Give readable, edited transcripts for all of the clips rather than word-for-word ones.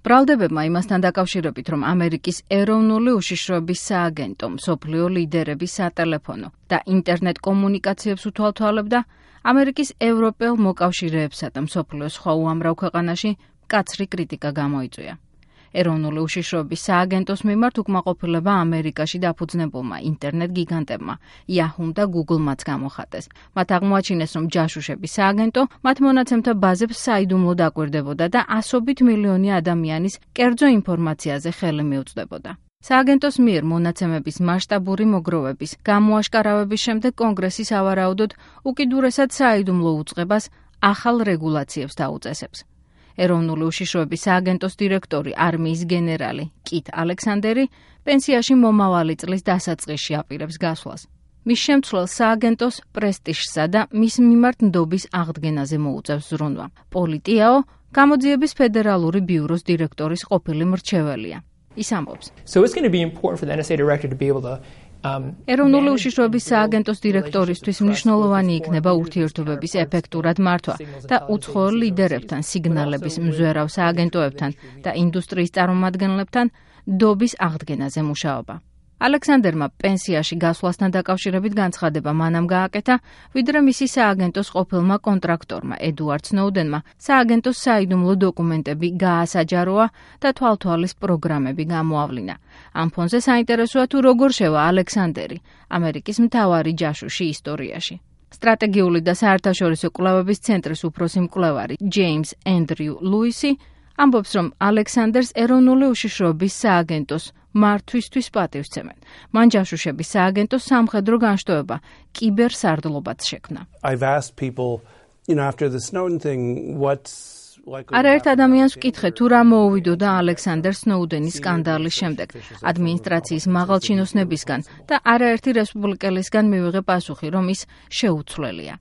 ბრალდებებმა იმასთან დაკავშირებით, რომ ამერიკის ეროვნული უშიშროების სააგენტო მსოფლიო ლიდერების სატელეფონო და ინტერნეტ კომუნიკაციებს უთვალთვალებდა, ამერიკის ევროპელ მოკავშირეებსა და მსოფლიოს სხვა უამრავ ქვეყანაში მკაცრი კრიტიკა გამოიწვია. ეროვნული უშიშროების სააგენტოს მიმართ უკმაყოფილება ამერიკაში დაფუძნებულმა ინტერნეტ გიგანტებმა, Yahoo და Google-მაც გამოხატეს. მათ აღმოაჩინეს, რომ ჯაშუშების სააგენტო მათ მონაცემთა ბაზებს საიდუმლოდ აკვირდებოდა და ასობით მილიონი ადამიანის კერძო ინფორმაციაზე ხელი მიუწვდებოდა. სააგენტოს მიერ მონაცემების მასშტაბური მოგროვების გამოაშკარავების შემდეგ კონგრესი სავარაუდოდ უკიდურესად საიდუმლო უწყებას ახალ რეგულაციებს დაუწესებს. ეროვნული უშიშროების სააგენტოს დირექტორი არმიის გენერალი კით ალექსანდერი პენსიაში მომავალი წლის დასაწყისში აპირებს გასვლას. მის შემცვლელს სააგენტოს პრესტიჟსა და მის მიმართ ნდობის აღდგენაზე მოუწევს ზრუნვა. პოლი ტიაო გამოძიების ფედერალური ბიუროს დირექტორის ყოფილი მრჩეველია. ის ამბობს. ეროვნული უშიშროების სააგენტოს დირექტორისთვის მნიშვნელოვანი იქნება ურთიერთობების ეფექტურად მართვა და უცხოელ ლიდერებთან, სიგნალების მზვერავ სააგენტოებთან და ინდუსტრიის წარმომადგენლებთან ნდობის აღდგენაზე მუშაობა. ალექსანდერმა პენსიაში გასვლასთან დაკავშირებით განცხადება მანამ გააკეთა, ვიდრე მისი სააგენტოს ყოფილმა კონტრაქტორმა ედუარდ სნოუდენმა სააგენტოს საიდუმლო დოკუმენტები გაასაჯაროა და თვალთვალის პროგრამები გამოავლინა. ამ ფონზე საინტერესოა თუ როგორ შევა ალექსანდერი ამერიკის მთავარი ჯაშუში ისტორიაში. სტრატეგიული და საერთაშორისო კვლევების ცენტრის უფროსი მკვლევარი ჯეიმს ენდრიუ ლუისი ამბობს, რომ ალექსანდერს ეროვნული უშიშროების სააგენტოს მართვისთვის პატივსცემენ. მან ჯაშუშების სააგენტოს სამხედრო განშტოება კიბერსარდლობაც შექმნა. არაერთ ადამიანს ვკითხე, თუ რა მოუვიდოდა ალექსანდერ სნოუდენის სკანდალის შემდეგ ადმინისტრაციის მაღალჩინოსნებისგან და არაერთი რესპუბლიკელისგან მივიღე პასუხი, რომ ის შეუცვლელია.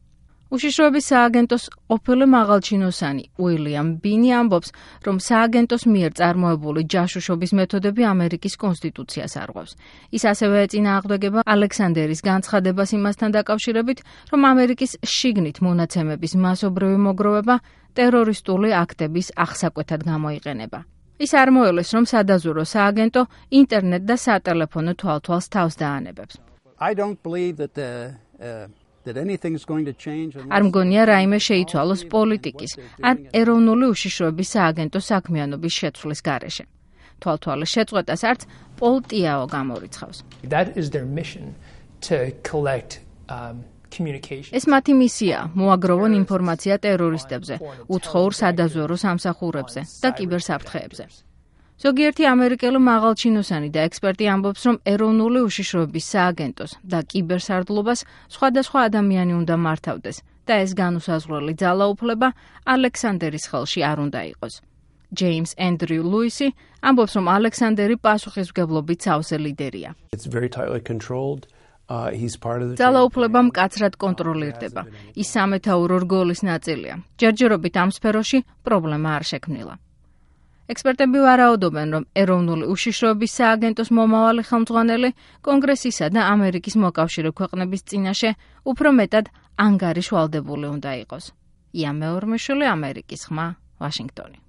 უშიშროების სააგენტოს ყოფილი მაღალჩინოსანი უილიამ ბინი ამბობს, რომ სააგენტოს მიერ წარმოებული ჯაშუშობის მეთოდები ამერიკის კონსტიტუციას არღვევს. ის ასევე ეწინააღმდეგება ალექსანდერის განცხადებას იმასთან დაკავშირებით, რომ ამერიკის შიგნით მონაცემების მასობრივი მოგროვება ტერორისტული აქტების აღსაკვეთად გამოიყენება. ის არ მოელეს, რომ სადაზვერვო სააგენტო ინტერნეტ და სატელეფონო თვალთვალს თავს დაანებებს. არ მგონია რაიმე შეიცვალოს პოლიტიკის ან ეროვნული უშიშროების სააგენტოს საქმიანობის შეცვლის გარეშე. თვალთვალის შეწყვეტას არც პოლ ტიაო გამორიცხავს. ეს მათი მისია, მოაგროვონ ინფორმაცია ტერორისტებზე, უცხოურ სადაზვერვო სამსახურებზე და კიბერსაფრთხეებზე. ზოგიერთი ამერიკელი მაღალჩინოსანი და ექსპერტი ამბობს, რომ ეროვნული უშიშროების სააგენტოს და კიბერსარდლობას სხვადასხვა ადამიანი უნდა მართავდეს და ეს განუსაზღვრელი ძალაუფლება ალექსანდერის ხელში არ უნდა იყოს. ჯეიმს ენდრიუ ლუისი ამბობს, რომ ალექსანდერი პასუხისმგებლობით სავსე ლიდერია. ძალაუფლება მკაცრად კონტროლირდება. ის სამეთაურო რგოლის ნაწილია. ჯერჯერობით ამ სფეროში პრობლემა არ შექმნილა. ექსპერტები ვარაუდობენ, რომ ეროვნული უშიშროების სააგენტოს მომავალი ხელმძღვანელი კონგრესისა და ამერიკის მოკავშირე ქვეყნების წინაშე უფრო მეტად ანგარიშვალდებული უნდა იყოს. ია მეორმეშვილი, ამერიკის ხმა, ვაშინგტონი.